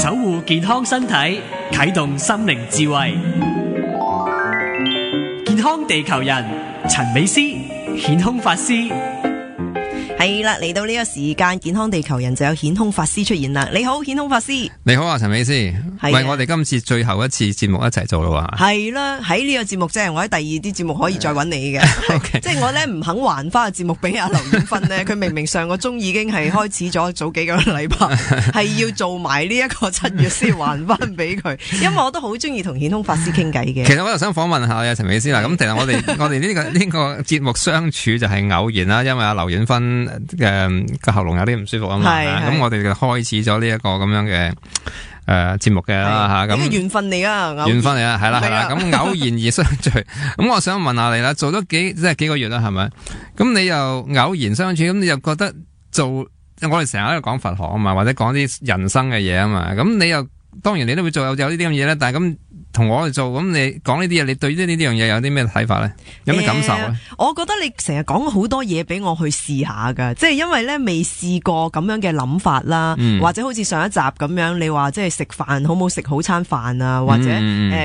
守護健康身體，啟動心靈智慧。健康地球人陳美詩顯空法師。係啦，嚟到呢個時間，健康地球人就有顯空法師出現啦。你好，顯空法師。你好啊，陳美詩。喂，我哋今次最後一次節目一齊做咯喎。係啦，喺呢個節目即係我喺第二啲節目可以再揾你嘅。Okay. 即係我咧唔肯還翻個節目俾阿劉婉芬呢。佢明明上個鐘已經係開始咗早幾個禮拜，係要做埋呢一個7月先還翻俾佢。因為我都好中意同顯空法師傾偈嘅。其實我又想訪問下啊，陳美詩啦。咁其實我哋呢個節目相處就係偶然啦，因為阿劉婉芬個喉嚨有啲唔舒服啊嘛，咁我哋就開始咗呢一個咁樣嘅節目嘅啦吓，咁緣分嚟啊，緣分嚟啊，係啦，咁偶然而相聚，咁我想問下你啦，做咗幾個月啦，係咪？咁你又偶然相處，咁你又覺得我哋成日喺度講佛學啊嘛，或者講啲人生嘅嘢啊嘛，咁你又當然你都會做有呢啲咁嘢咧，但係咁。同我哋做咁，你講呢啲嘢，你對呢樣嘢有啲咩睇法咧？有咩感受咧？我覺得你成日講好多嘢俾我去試下噶，即係因為咧未試過咁樣嘅諗法啦，或者好似上一集咁樣，你話即係食飯好唔好食好餐飯啊，或者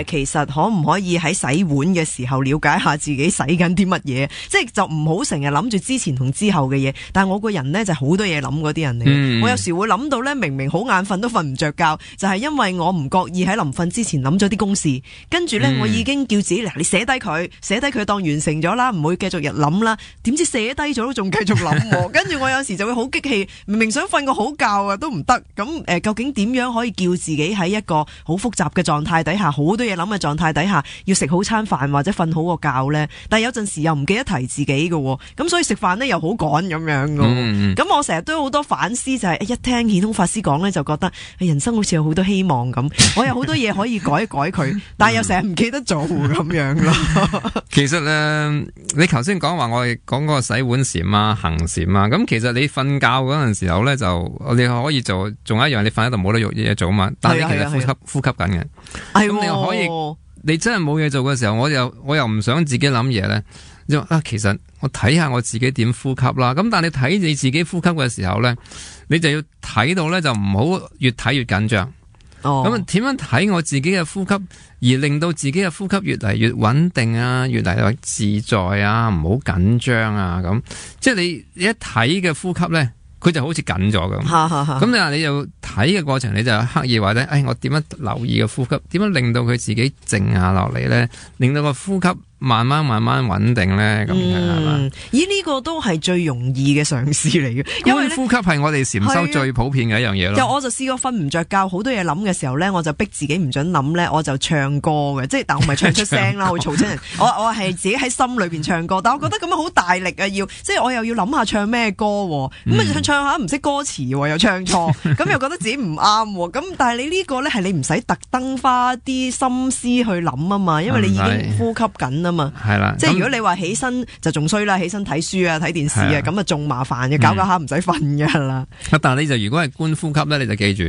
其實可唔可以喺洗碗嘅時候了解下自己洗緊啲乜嘢？即係就唔好成日諗住之前同之後嘅嘢。但係我個人呢，就好多嘢諗嗰啲人嚟，我有時會諗到咧，明明好眼瞓都瞓唔着覺，就係因為我唔覺意喺臨瞓之前諗咗啲公事。跟住咧，我已經叫自己嗱，你寫低佢當完成咗啦，唔會繼續日諗啦。點知寫低咗都仲繼續諗，跟住我有時就會好激氣，明明想瞓個好覺啊，都唔得。咁究竟點樣可以叫自己喺一個好複雜嘅狀態底下，好多嘢諗嘅狀態底下，要食好餐飯或者瞓好個覺呢？但係有陣時又唔記得提自己嘅，咁所以食飯呢又好趕咁樣嘅。咁我成日都有好多反思，就係一聽顯空法師講呢，就覺得人生好似有好多希望咁，我有好多嘢可以改一改佢。但係又成日唔記得做咁樣咯。其實你頭先講話我哋講嗰個洗碗禪啊、行禪啊，咁其實你瞓覺嗰陣時候咧，就你可以做，仲有一樣你瞓喺度冇得用嘢做嘛。但係你其實呼吸緊嘅。咁你又可以，你真係冇嘢做嘅時候，我又唔想自己諗嘢咧。其實我睇下我自己點呼吸啦。咁但係你睇你自己呼吸嘅時候咧，你就要睇到咧，就唔好越睇越緊張。咁點樣睇我自己嘅呼吸，而令到自己嘅呼吸越嚟越穩定啊，越嚟越自在啊，唔好緊張啊，咁即係你一睇嘅呼吸咧，佢就好似緊咗咁。咁你又睇嘅過程，你就刻意話咧，我點樣留意嘅呼吸，點樣令到佢自己靜下落嚟咧，令到個呼吸慢慢穩定咧，咁係嘛？咦，呢個都係最容易嘅嘗試嚟嘅，因為呼吸係我哋禪修最普遍嘅一樣嘢咯。我就試過瞓唔着覺，好多嘢諗嘅時候咧，我就逼自己唔准諗咧，我就唱歌嘅，即係但我唔係唱出聲啦，會嘈親人。我係自己喺心裏邊唱歌，但我覺得咁樣好大力啊，即係我又要諗下唱咩歌，咁唱下唔識歌詞又唱錯，咁又覺得自己唔啱。咁但係你呢個咧係你唔使特登花啲心思去諗啊嘛，因為你已經呼吸緊啊。係啦，即係如果你話起身就仲衰啦，起身睇書啊、睇電視啊，咁啊仲麻煩嘅，搞下唔使瞓噶啦。但係你就如果係觀呼吸咧，你就記住，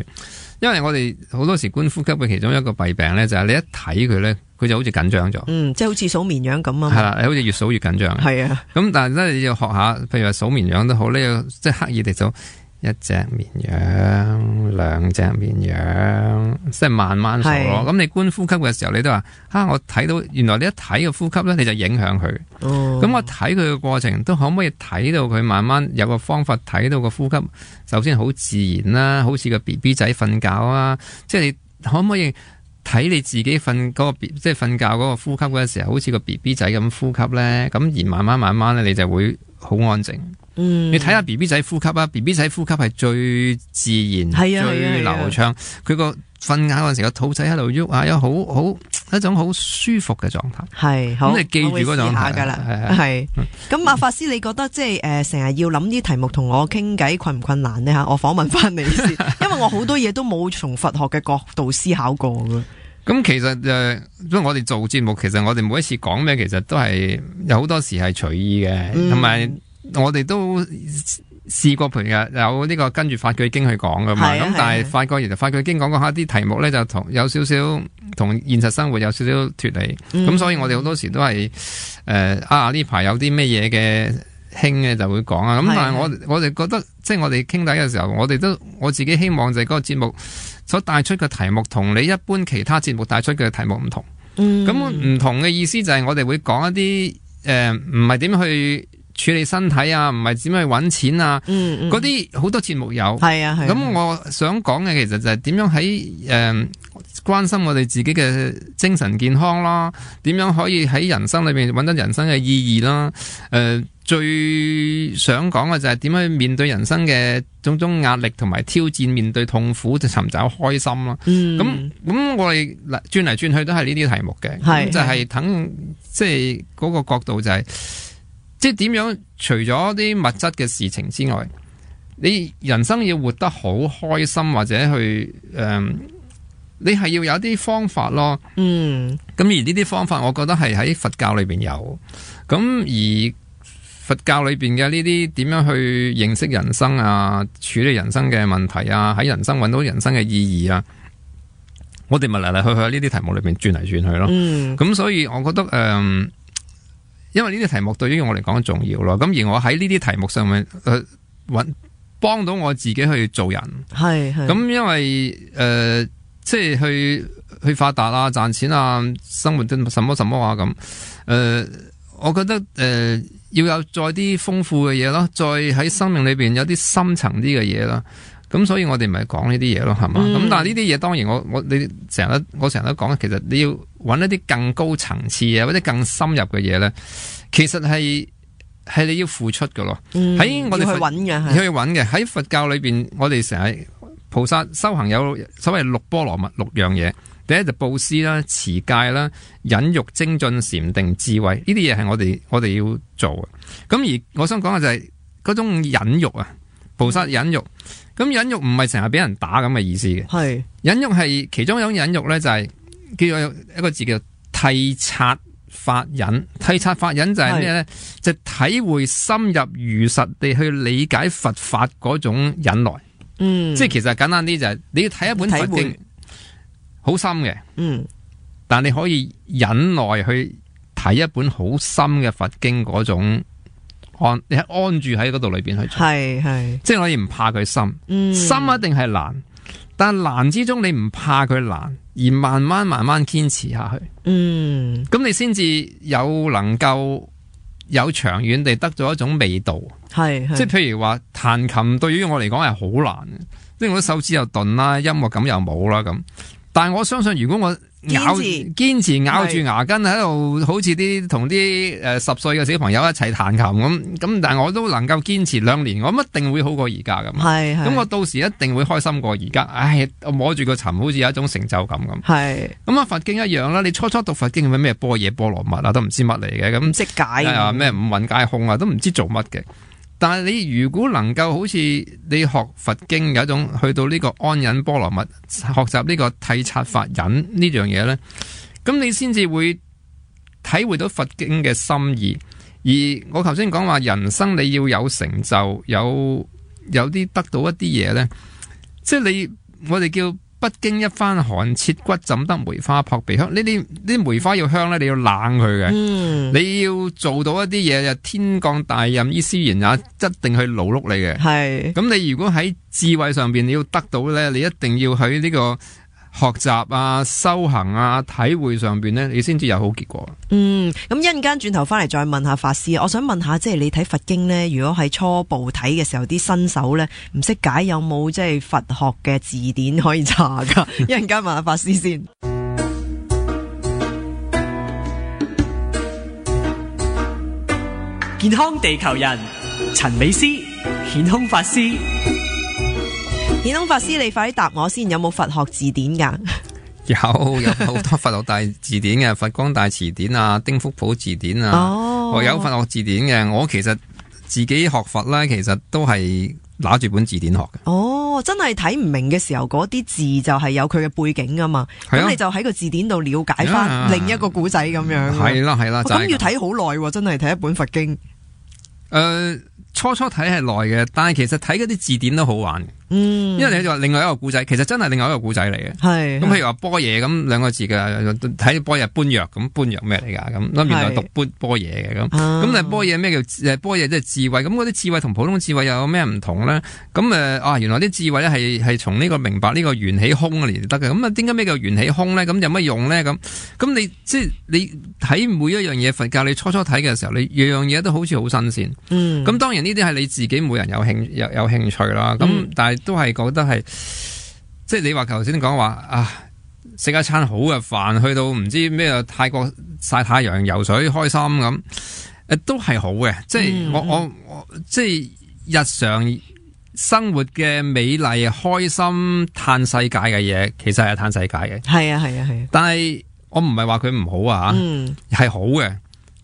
因為我哋好多時觀呼吸嘅其中一個弊病咧，就係你一睇佢咧，佢就好似緊張咗。即係好似數綿羊咁啊。係啦，你好似越數越緊張。係啊。咁但係咧，你要學下，譬如話數綿羊都好，你要即係刻意地數。一隻綿羊，兩隻綿羊，即係慢慢數咯。咁你觀呼吸嘅時候，你都話我睇到原來你一睇個呼吸咧，你就影響佢。咁我睇佢嘅過程，都可唔可以睇到佢慢慢有個方法睇到個呼吸？首先好自然啦，好似個 BB 仔瞓覺啊，即係你可唔可以睇你自己瞓嗰個即係瞓覺嗰個呼吸嘅時候，好似個 BB 仔咁呼吸咧？咁而慢慢咧，你就會好安靜。你睇下 BB 仔呼吸啊 ，BB 仔呼吸係最自然、最流暢。佢個瞓覺嗰陣時，個肚仔喺度喐啊，有好一種好舒服嘅狀態。係，咁你記住嗰種狀態噶啦。係，咁阿法師，你覺得即係成日要諗啲題目同我傾偈困唔困難呢？吓，我訪問翻你先，因為我好多嘢都冇從佛學嘅角度思考過噶。咁其實因為我哋做節目，其實我哋每一次講咩，其實都係有好多時係隨意嘅，同埋。我哋都試過，譬如有呢個跟住法句經去講噶嘛，咁但係發覺原來法句經講下啲題目咧，就有少少同現實生活有少少脫離，咁所以我哋好多時都係呢排有啲咩嘢嘅興嘅就會講啊。咁但係我哋覺得，即係我哋傾偈嘅時候，我自己希望就係嗰個節目所帶出嘅題目同你一般其他節目帶出嘅題目唔同。咁唔同嘅意思就係我哋會講一啲唔係點去處理身體啊，唔係點去搵錢啊，嗰啲好多節目有。咁我想講嘅其實就係點樣喺關心我哋自己嘅精神健康啦，點樣可以喺人生裏邊搵到人生嘅意義啦。最想講嘅就係點樣去面對人生嘅種種壓力同埋挑戰，面對痛苦就尋找開心啦。咁我哋轉嚟轉去都係呢啲題目嘅，就係等即係嗰個角度就係即係點樣除咗啲物質嘅事情之外，你人生要活得好開心或者去你係要有啲方法咯。咁而呢啲方法我覺得係喺佛教裏邊有，咁而佛教裏邊嘅呢啲點樣去認識人生啊，處理人生嘅問題啊，喺人生揾到人生嘅意義啊，我哋咪嚟嚟去去喺呢啲題目裏邊轉嚟轉去咯。咁所以我覺得因為呢啲題目對於我嚟講重要咯。咁而我喺呢啲題目上面幫到我自己去做人。咁因為即係去發達啊，賺錢啊，生活啲什麼什麼啊咁。我覺得要有再啲豐富嘅嘢咯，再喺生命裏邊有啲深層啲嘅嘢咯。咁所以我哋咪講呢啲嘢咯，係嘛？咁但係呢啲嘢當然我成日都講，其實你要揾一啲更高層次嘅或者更深入嘅嘢咧，其實係你要付出㗎咯。喺我哋去揾嘅喺佛教裏邊，我哋成日菩薩修行有所謂六波羅蜜6樣嘢。第一就布施啦、持戒啦、忍辱、精進、禪定、智慧，呢啲嘢係我哋要做嘅。咁而我想講嘅就係嗰種忍辱啊，菩薩忍辱。咁忍辱唔係成日俾人打咁嘅意思嘅。忍辱係其中一種忍辱咧，就係叫做一個字叫諦察法忍。諦察法忍就係咩咧？就體會深入如實地去理解佛法嗰種忍耐。即係其實簡單啲就係你要睇一本佛經。好深嘅，但你可以忍耐去睇一本好深嘅佛經嗰種你係安住喺嗰度裏邊去做，即係可以唔怕佢深，深一定係難，但難之中你唔怕佢難，而慢慢堅持下去，咁你先至能夠有長遠地得咗一種味道，即係譬如話彈琴對於我嚟講係好難嘅，即係我啲手指又鈍啦，音樂感又冇啦咁。但係我相信，如果我堅持咬住牙根喺度，好似同啲10歲嘅小朋友一齊彈琴咁，但係我都能夠堅持2年，我一定會好過而家咁。咁我到時一定會開心過而家。我摸住個琴，好似有一種成就感咁。咁啊，佛經一樣啦。你初讀佛經咩般若波羅蜜啊，都唔知乜嚟嘅，咁唔識解啊，咩五蘊皆空啊，都唔知做乜嘅。但係你如果能夠好似你學佛經有一種去到呢個安忍波羅蜜，學習呢個諦察法忍呢樣嘢呢，咁你先至會體會到佛經嘅心意。而我頭先講話人生你要有成就，有啲得到一啲嘢呢，即係我哋叫不經一番寒切骨，怎得梅花撲鼻香？呢啲梅花要香咧，你要冷佢嘅。你要做到一啲嘢，就天降大任於斯人也，一定去勞碌你嘅。咁你如果喺智慧上邊你要得到咧，你一定要喺呢個學習啊、修行啊、體會上邊咧，你先至有好結果。咁一陣間轉頭翻嚟再問下法師，我想問下，即係你睇佛經咧，如果係初步睇嘅時候，啲新手咧唔識解，有冇即係佛學嘅字典可以查噶？一陣間問下法師先。健康地球人陳美詩，顯空法師。顯空法師，你快啲答我先，有冇佛學字典噶？有好多佛學大字典嘅，佛光大辭典啊、丁福普字典啊，我有佛學字典嘅。我其實自己學佛咧，其實都係拿住本字典學嘅。真係睇唔明嘅時候，嗰啲字就係有佢嘅背景噶嘛。咁你就喺個字典度了解翻另一個古仔咁樣。係啦，咁要睇好耐，真係睇一本佛經。初睇係耐嘅，但係其實睇嗰啲字典都好玩嘅。因為你就話另外一個古仔，其實真係另外一個古仔嚟嘅。係咁，譬如話波嘢咁兩個字嘅，睇波嘢般若咁，般若咩嚟㗎？咁原來讀波嘢嘅咁。咁但係波嘢咩叫波嘢？即係智慧。咁嗰啲智慧同普通智慧又有咩唔同咧？咁原來啲智慧咧係從呢個明白呢個緣起空嚟得嘅。咁點解咩叫緣起空咧？咁有乜用咧？咁你即係你睇每一樣嘢，佛教你初睇嘅時候，你樣樣嘢都好似好新鮮。咁當然呢啲係你自己每人有興趣啦。咁但係都係覺得係，即係你話頭先講話啊，食一餐好嘅飯，去到唔知咩泰國曬太陽、游水開心咁，都係好嘅。即係我即係日常生活嘅美麗、開心、嘆世界嘅嘢，其實係嘆世界嘅。係啊。但係我唔係話佢唔好啊，係好嘅。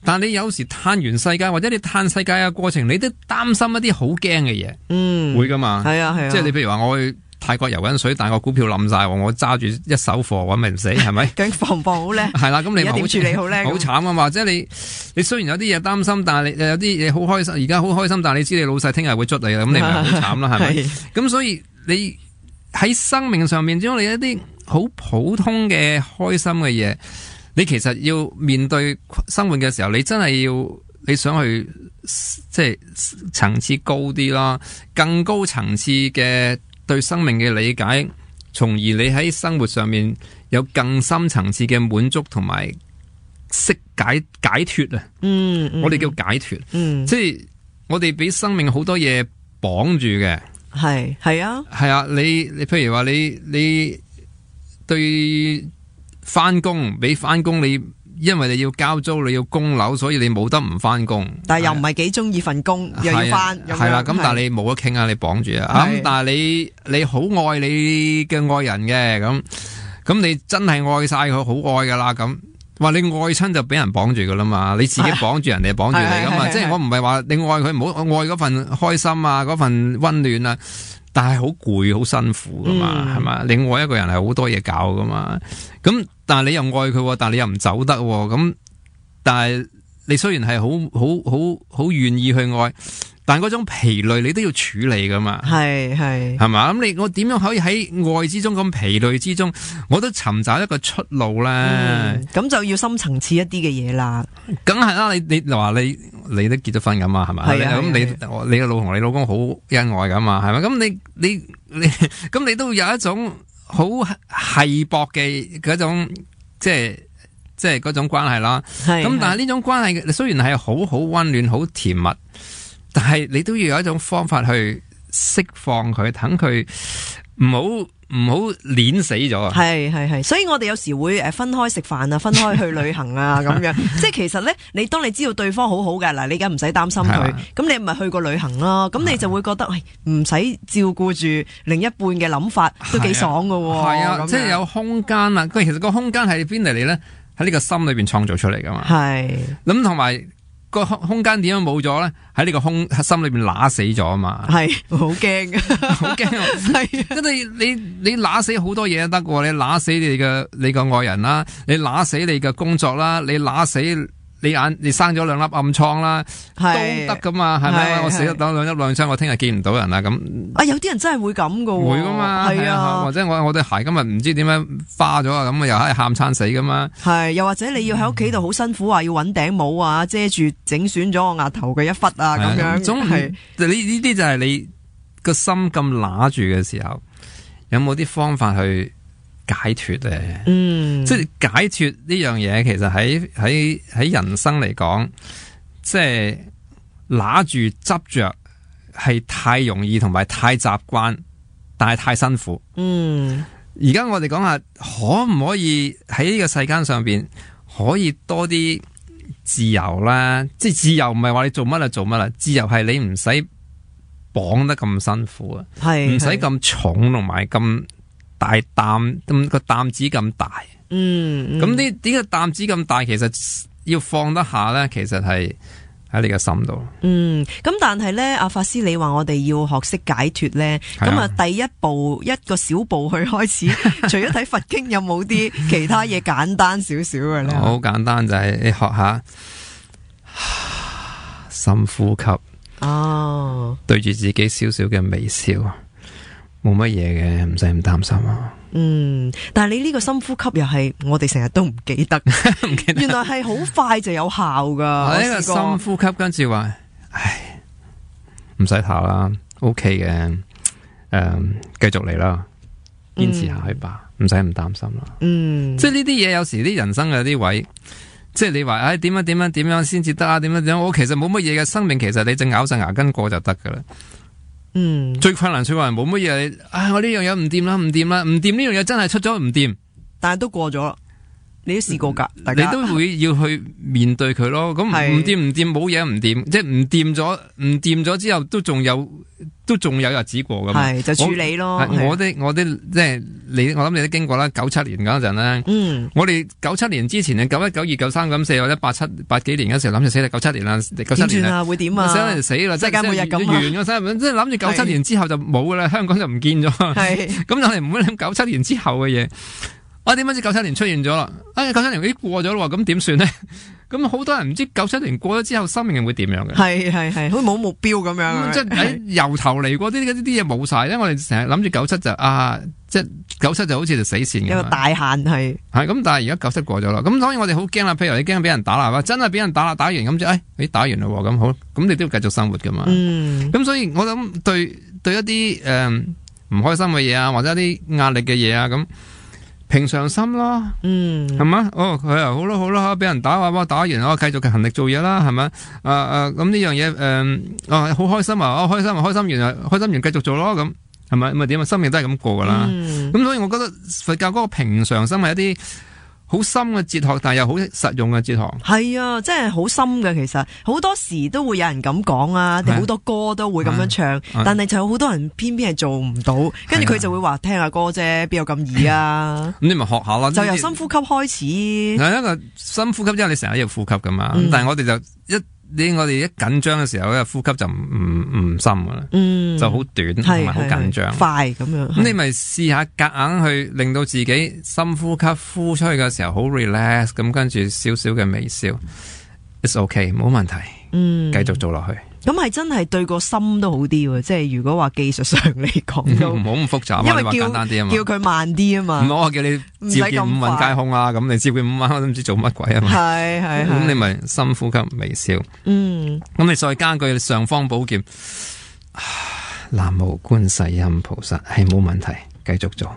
但係你有時嘆完世界，或者你嘆世界嘅過程，你都擔心一啲好驚嘅嘢，會噶嘛？係啊，即係你譬如話我去泰國游緊水，但係個股票冧晒，我揸住一手貨，搵咪唔死，係咪？究竟防唔防好叻？係啦，咁你點處理好叻？好慘啊嘛！或者你雖然有啲嘢擔心，但係你有啲嘢好開心，而家好開心，但係你知你老細聽日會捉你啦，咁你咪好慘啦，係咪？咁所以你喺生命上面，將你一啲好普通嘅開心嘅嘢。你其實要面對生活嘅時候，你真係你想去即係層次高啲啦，更高層次嘅對生命嘅理解，從而你喺生活上面有更深層次嘅滿足同埋釋解脫啊！我哋叫解脫，即係我哋俾生命好多嘢綁住嘅，係啊，你譬如話你對。翻工俾翻工你，因為你要交租，你要供樓，所以你冇得唔翻工。但係又唔係幾中意份工，又要翻。係啦，咁但係你冇得傾啊，你綁住啊。咁但係你好愛你嘅愛人嘅，咁你真係愛晒佢，好愛噶啦。咁話你愛親就俾人綁住噶啦嘛，你自己綁住人哋，綁住你噶嘛。即係我唔係話你愛佢，唔好愛嗰份開心啊，嗰份溫暖啊。但係好攰，好辛苦噶嘛，係嘛？你愛一個人係好多嘢搞噶嘛，咁但係你又愛佢，但係你又唔走得，咁但係你雖然係好願意去愛，但係嗰種疲累你都要處理噶嘛，係嘛？咁我點樣可以喺愛之中咁疲累之中，我都尋找一個出路咧？咁就要深層次一啲嘅嘢啦。梗係啦，你話你都結咗婚噶嘛，係咪？咁你嘅老同你老公好恩愛噶嘛，係咪？咁你咁你都有一種好稀薄嘅嗰種即係嗰種關係啦。咁但係呢種關係雖然係好溫暖、好甜蜜。但係你都要有一種方法去釋放佢，等佢唔好碾死咗啊！係，所以我哋有時會分開食飯啊，分開去旅行啊，咁樣。即係其實咧，當你知道對方好好嘅嗱，你而家唔使擔心佢，咁你咪去過旅行咯。咁你就會覺得，唔使照顧住另一半嘅諗法，都幾爽噶。係啊，即係有空間啊。其實個空間係邊嚟咧？喺呢個心裏邊創造出嚟噶嘛。係咁同埋。個空間點樣冇咗咧？喺呢個心裏邊揦死咗啊嘛！係好驚，好驚！係，跟住你揦死好多嘢都得嘅，你揦死你個愛人啦，你揦死你嘅工作啦，你揦死你生咗2粒暗瘡啦，都得噶嘛？係咪？我死咗2粒暗瘡，我聽日見唔到人啦咁。啊，有啲人真係會咁噶，會噶嘛？係啊，或者我對鞋今日唔知點樣花咗啊，咁又係喊餐死噶嘛？係，又或者你要喺屋企度好辛苦啊，要揾頂帽啊，遮住整損咗我額頭嘅一忽啊，咁樣。總係呢啲就係你個心咁揦住嘅時候，有冇啲方法去解脫咧？即係解脫呢樣嘢，其實喺人生嚟講，即係拿住執着係太容易，同埋太習慣，但係太辛苦。而家我哋講下，可唔可以喺呢個世間上邊可以多啲自由啦？即係自由唔係話你做乜就做乜啦，自由係你唔使綁得咁辛苦啊，唔使咁重，同埋咁大擔，咁個擔子咁大。咁呢個擔子咁大，其實要放得下咧，其實係喺你個心度。咁但係咧，阿法師你話我哋要學識解脫咧，咁啊第一步一個小步去開始，除咗睇佛經，有冇啲其他嘢簡單少少嘅咧？好簡單，就係你學下深呼吸。哦，對住自己少少嘅微笑，冇乜嘢嘅，唔使咁擔心啊。但係你呢個深呼吸又係我哋成日都唔記得，唔記得原來係好快就有效噶。呢個深呼吸跟住話，唉，唔使怕啦 ，OK 嘅，繼續嚟啦，堅持下去吧，唔使咁擔心啦。即係呢啲嘢，有時啲人生有啲位，即係你話，唉，點樣先至得啊？點樣？我其實冇乜嘢嘅生命，其實你淨咬實牙根過就得噶啦。最困難冇乜嘢，我呢樣嘢唔掂啦，唔掂呢樣嘢真係出咗唔掂，但係都過咗，你都試過噶，你都會要去面對佢咯。咁唔掂冇嘢唔掂，即係唔掂咗之後都仲有日子過噶嘛，係就處理咯。我啲即係我諗你都經過啦。97年嗰陣咧，我哋97年之前嘅91、92、93、94或者87幾年嗰時候諗住死啦，97年啦，97年啦，會點啊？死啦！世界末日咁完咗即係諗住97年之後就冇噶啦，香港就唔見咗。咁我哋唔會諗97年之後嘅嘢。我點解知97年出現咗啦？97年已經過咗啦，咁點算呢？咁好多人唔知97年過咗之後，生命會點樣嘅？係，好似冇目標咁樣。即係由頭嚟過，啲嘢冇晒，因為我哋成日諗住97就即係97就好似就死線咁。有個大限係咁，但係而家97過咗啦，咁所以我哋好驚啦。譬如你驚俾人打啦，真係俾人打啦，打完咁就打完啦，咁好，咁你都要繼續生活噶嘛。咁所以我諗對一啲唔開心嘅嘢啊，或者一啲壓力嘅嘢啊咁。平常心咯，係嘛？佢又好啦，俾人打話，打完我繼續勤力做嘢啦，係咪？咁呢樣嘢，好開心啊！開心完繼續做咯，咁係咪？咪點啊？生命都係咁過噶啦。咁所以我覺得佛教嗰個平常心係一啲好深嘅哲學，但係又好實用嘅哲學。係啊，真係好深嘅。其實好多時都會有人咁講啊，好多歌都會咁樣唱，但係就有好多人偏偏係做唔到，跟住佢就會話聽下歌啫，邊有咁易啊？咁你咪學下咯，就由深呼吸開始。係一個深呼吸，因為你成日要呼吸噶嘛。但係我哋就我哋一緊張嘅時候咧，呼吸就唔深噶啦，就好短同埋好緊張，快咁樣。咁你咪試下夾硬去令到自己深呼吸，呼出去嘅時候好 relax， 咁跟住少少嘅微笑 ，it's okay， 冇問題，繼續做落去。咁係真係對個心都好啲喎，即係如果話技術上嚟講都唔好咁複雜，因為你話簡單啲啊嘛，叫佢慢啲啊嘛，唔好我叫你照見五蘊皆空啊，咁你照見五蘊我都唔知做乜鬼啊嘛，係，咁你咪深呼吸微笑，咁你再加句上方寶劍，南無觀世音菩薩，係冇問題，繼續做。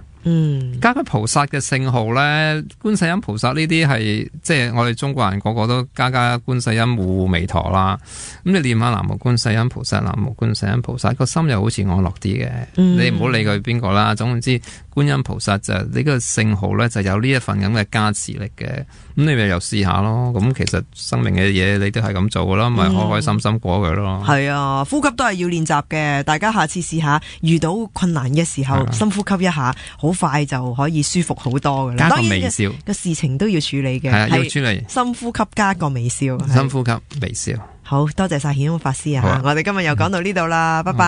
加個菩薩嘅聖號咧，觀世音菩薩呢啲係即係我哋中國人個個都加觀世音護彌陀啦。咁你念下南無觀世音菩薩，南無觀世音菩薩，個心又好似安樂啲嘅。你唔好理佢邊個啦，總之觀音菩薩就呢個聖號咧就有呢一份咁嘅加持力嘅。咁你咪又試下咯。咁其實生命嘅嘢你都係咁做噶啦，咪開開心心過佢咯。係啊，呼吸都係要練習嘅。大家下次試下，遇到困難嘅時候，深呼吸一下，好快就可以舒服好多噶啦。加個微笑，個事情都要處理嘅。係啊，要處理。深呼吸加個微笑。深呼吸微笑。好多謝晒顯空法師啊！我哋今日又講到呢度啦，拜拜。